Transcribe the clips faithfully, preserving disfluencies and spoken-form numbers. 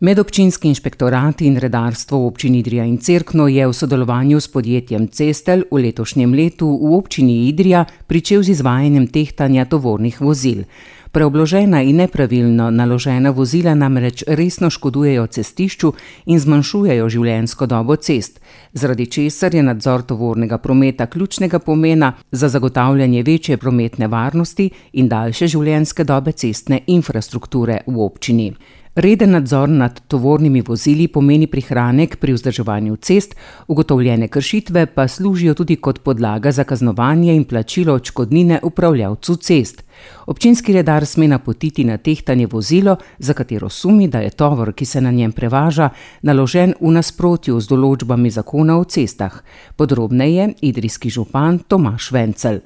Medobčinski inšpektorat in redarstvo v občini Idrija in Cerkno je v sodelovanju s podjetjem Cestelj v letošnjem letu v občini Idrija pričel z izvajanjem tehtanja tovornih vozil. Preobložena in nepravilno naložena vozila namreč resno škodujejo cestišču in zmanjšujejo življenjsko dobo cest, zaradi česar je nadzor tovornega prometa ključnega pomena za zagotavljanje večje prometne varnosti in daljše življenjske dobe cestne infrastrukture v občini. Reden nadzor nad tovornimi vozili pomeni prihranek pri vzdrževanju cest, ugotovljene kršitve pa služijo tudi kot podlaga za kaznovanje in plačilo odškodnine upravljavcu cest. Občinski redar sme napotiti na tehtanje vozilo, za katero sumi, da je tovor, ki se na njem prevaža, naložen v nasprotju z določbami zakona o cestah. Podrobneje idrijski župan Tomaž Vencelj.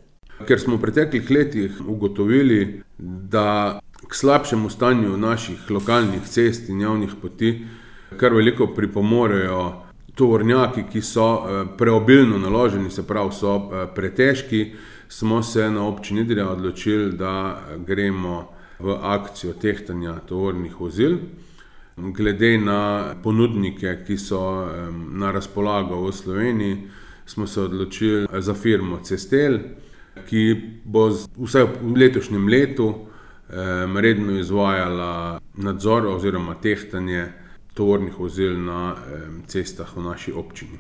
Ker smo v preteklih letih ugotovili, da k slabšemu stanju naših lokalnih cest in javnih poti kar veliko pripomorejo tovornjaki, ki so preobilno naloženi, se pravi so pretežki, smo se na občini Idrija odločili, da gremo v akcijo tehtanja tovornih vozil. Glede na ponudnike, ki so na razpolago v Sloveniji, smo se odločili za firmo Cestelj, ki bo vsaj v letošnjem letu redno izvajala nadzor oziroma tehtanje tovornih vozil na cestah v naši občini.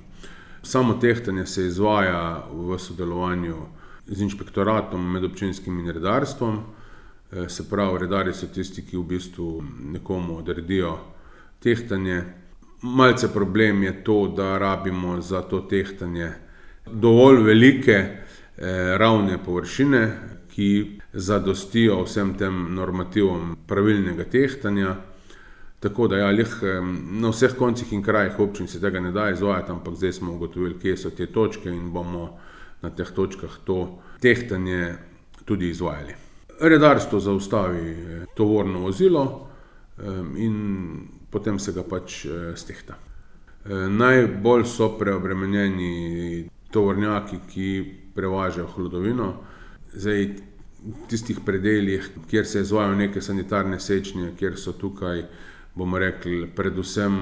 Samo tehtanje se izvaja v sodelovanju z inšpektoratom, medobčinskim in redarstvom. Se pravi, redarji so tisti, ki v bistvu nekomu odredijo tehtanje. Malce problem je to, da rabimo za to tehtanje dovolj velike ravne površine, ki zadostijo vsem tem normativom pravilnega tehtanja. Tako da ja, lih, na vseh koncih in krajih občin se tega ne da izvajati, ampak zdaj smo ugotovili, kje so te točke in bomo na teh točkah to tehtanje tudi izvajali. Redarstvo zaustavi tovorno vozilo in potem se ga pač stehta. Najbolj so preobremenjeni tovornjaki, ki prevažajo hlodovino. Zdaj, v tistih predeljih, kjer se izvajajo neke sanitarne sečnje, kjer so tukaj, bomo rekli, predvsem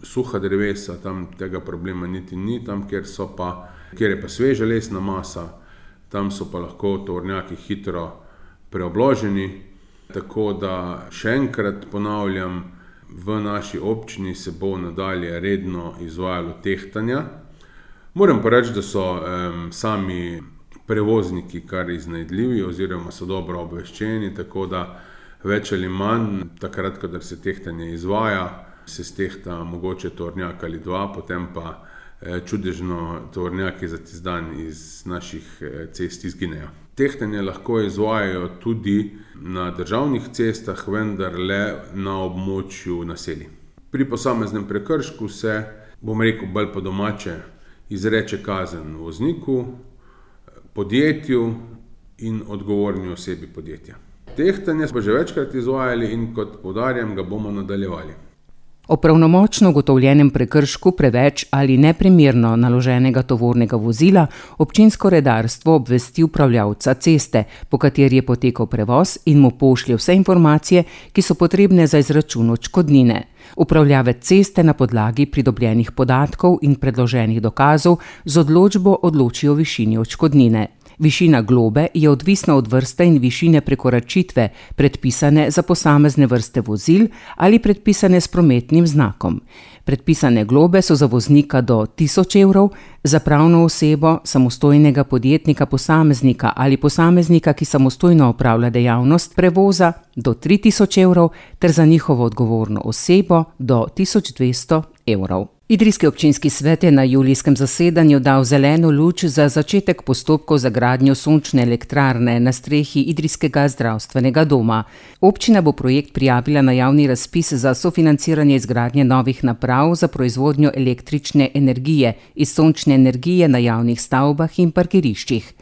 suha drevesa, tam tega problema niti ni, tam, kjer so pa, kjer je pa sveža lesna masa, tam so pa lahko tovornjaki hitro preobloženi. Tako da še enkrat ponavljam, v naši občini se bo nadalje redno izvajalo tehtanja. Moram pa reči, da so um, sami prevozniki kar iznajdljivi oziroma so dobro obveščeni, tako da več ali manj, takrat, kadar se tehtanje izvaja, se stehta mogoče tovornjak ali dva, potem pa eh, čudežno tovornjaki za tisti dan iz naših eh, cest izginejo. Tehtanje lahko izvajajo tudi na državnih cestah, vendar le na območju naselij. Pri posameznem prekršku se, bom rekel bolj po domače, izreče kazen vozniku, podjetju in odgovorni osebi podjetja. Tehtanje smo že večkrat izvajali in kot poudarjam, ga bomo nadaljevali. O pravnomočno ugotovljenem prekršku preveč ali neprimerno naloženega tovornega vozila občinsko redarstvo obvesti upravljavca ceste, po kateri je potekal prevoz in mu pošlje vse informacije, ki so potrebne za izračun odškodnine. Upravljavec ceste na podlagi pridobljenih podatkov in predloženih dokazov z odločbo odloči o višini odškodnine. Višina globe je odvisna od vrste in višine prekoračitve, predpisane za posamezne vrste vozil ali predpisane s prometnim znakom. Predpisane globe so za voznika do tisoč evrov, za pravno osebo, samostojnega podjetnika posameznika ali posameznika, ki samostojno opravlja dejavnost prevoza, do tri tisoč evrov ter za njihovo odgovorno osebo do tisoč dvesto evrov. Idrijski občinski svet je na julijskem zasedanju dal zeleno luč za začetek postopkov za gradnjo sončne elektrarne na strehi idrijskega zdravstvenega doma. Občina bo projekt prijavila na javni razpis za sofinanciranje izgradnje novih naprav za proizvodnjo električne energije iz sončne energije na javnih stavbah in parkiriščih.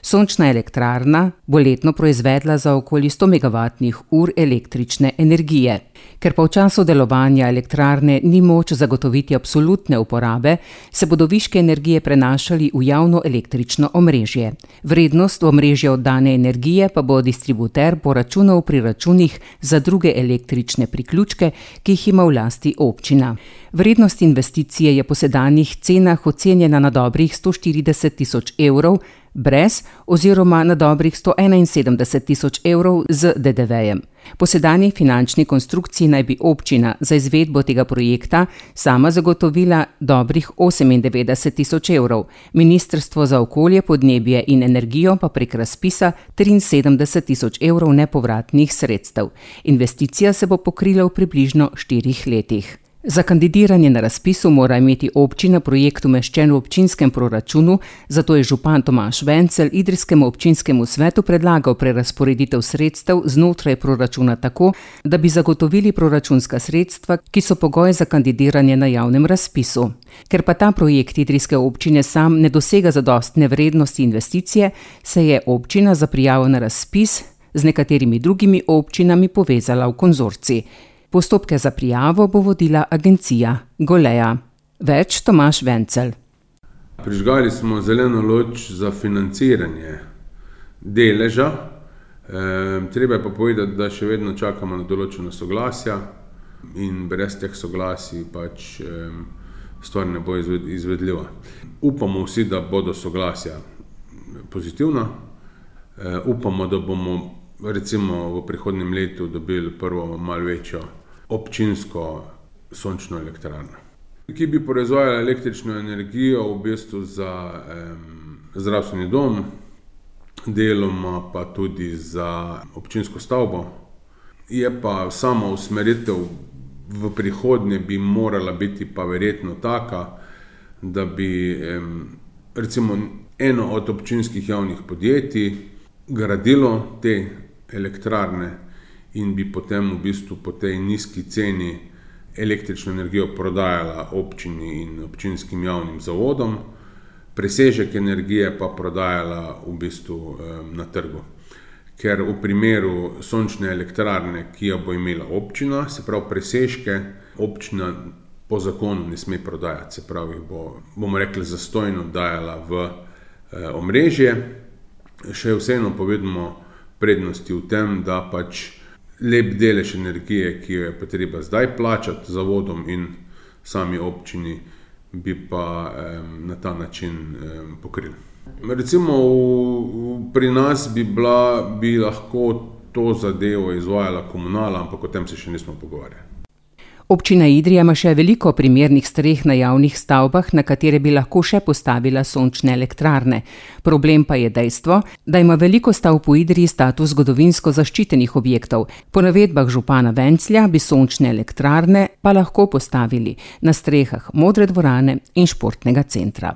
Sončna elektrarna bo letno proizvedla za okoli sto megavatnih ur električne energije. Ker pa v času delovanja elektrarne ni moč zagotoviti absolutne uporabe, se bodo viški energije prenašali v javno električno omrežje. Vrednost v omrežje oddane energije pa bo distributer poračunal pri računih za druge električne priključke, ki jih ima v lasti občina. Vrednost investicije je po sedanjih cenah ocenjena na dobrih sto štirideset tisoč evrov, brez oziroma na dobrih sto enainsedemdeset tisoč evrov z D D V-jem. Po sedanji finančni konstrukciji naj bi občina za izvedbo tega projekta sama zagotovila dobrih osemindevetdeset tisoč evrov, Ministrstvo za okolje, podnebje in energijo pa prek razpisa triinsedemdeset tisoč evrov nepovratnih sredstev. Investicija se bo pokrila v približno štirih letih. Za kandidiranje na razpisu mora imeti občina projekt umeščen v občinskem proračunu, zato je župan Tomaž Vencelj idrijskemu občinskemu svetu predlagal prerazporeditev sredstev znotraj proračuna tako, da bi zagotovili proračunska sredstva, ki so pogoj za kandidiranje na javnem razpisu. Ker pa ta projekt idrijske občine sam ne dosega zadostne vrednosti investicije, se je občina za prijavo na razpis z nekaterimi drugimi občinami povezala v konzorcij. Postopke za prijavo bo vodila agencija Goleja. Več Tomaž Vencelj. Prižgali smo zeleno luč za financiranje deleža. E, treba je pa povedati, da še vedno čakamo na določena soglasja in brez teh soglasij pač e, stvar ne bo izvedljiva. Upamo vsi, da bodo soglasja pozitivna. E, upamo, da bomo recimo v prihodnjem letu dobili prvo malo večjo občinsko sončno elektrarno, ki bi proizvajala električno energijo v bistvu za eh, zdravstveni dom, deloma pa tudi za občinsko stavbo. Je pa sama usmeritev v prihodnje bi morala biti pa verjetno taka, da bi eh, recimo eno od občinskih javnih podjetij gradilo te elektrarne in bi potem v bistvu po tej nizki ceni električno energijo prodajala občini in občinskim javnim zavodom, presežek energije pa prodajala v bistvu eh, na trgu. Ker v primeru sončne elektrarne, ki jo bo imela občina, se pravi presežke, občina po zakonu ne sme prodajati, se pravi bo, bomo rekli, zastojno dajala v eh, omrežje. Še vseeno povedamo prednosti v tem, da pač lep delež energije, ki jo je potreba zdaj plačati zavodom in sami občini, bi pa eh, na ta način eh, pokrili. Recimo v, pri nas bi, bila, bi lahko to zadevo izvajala komunala, ampak o tem se še nismo pogovarjali. Občina Idrija ima še veliko primernih streh na javnih stavbah, na katere bi lahko še postavila sončne elektrarne. Problem pa je dejstvo, da ima veliko stavb v Idriji status zgodovinsko zaščitenih objektov. Po navedbah župana Venclja bi sončne elektrarne pa lahko postavili na strehah Modre dvorane in športnega centra.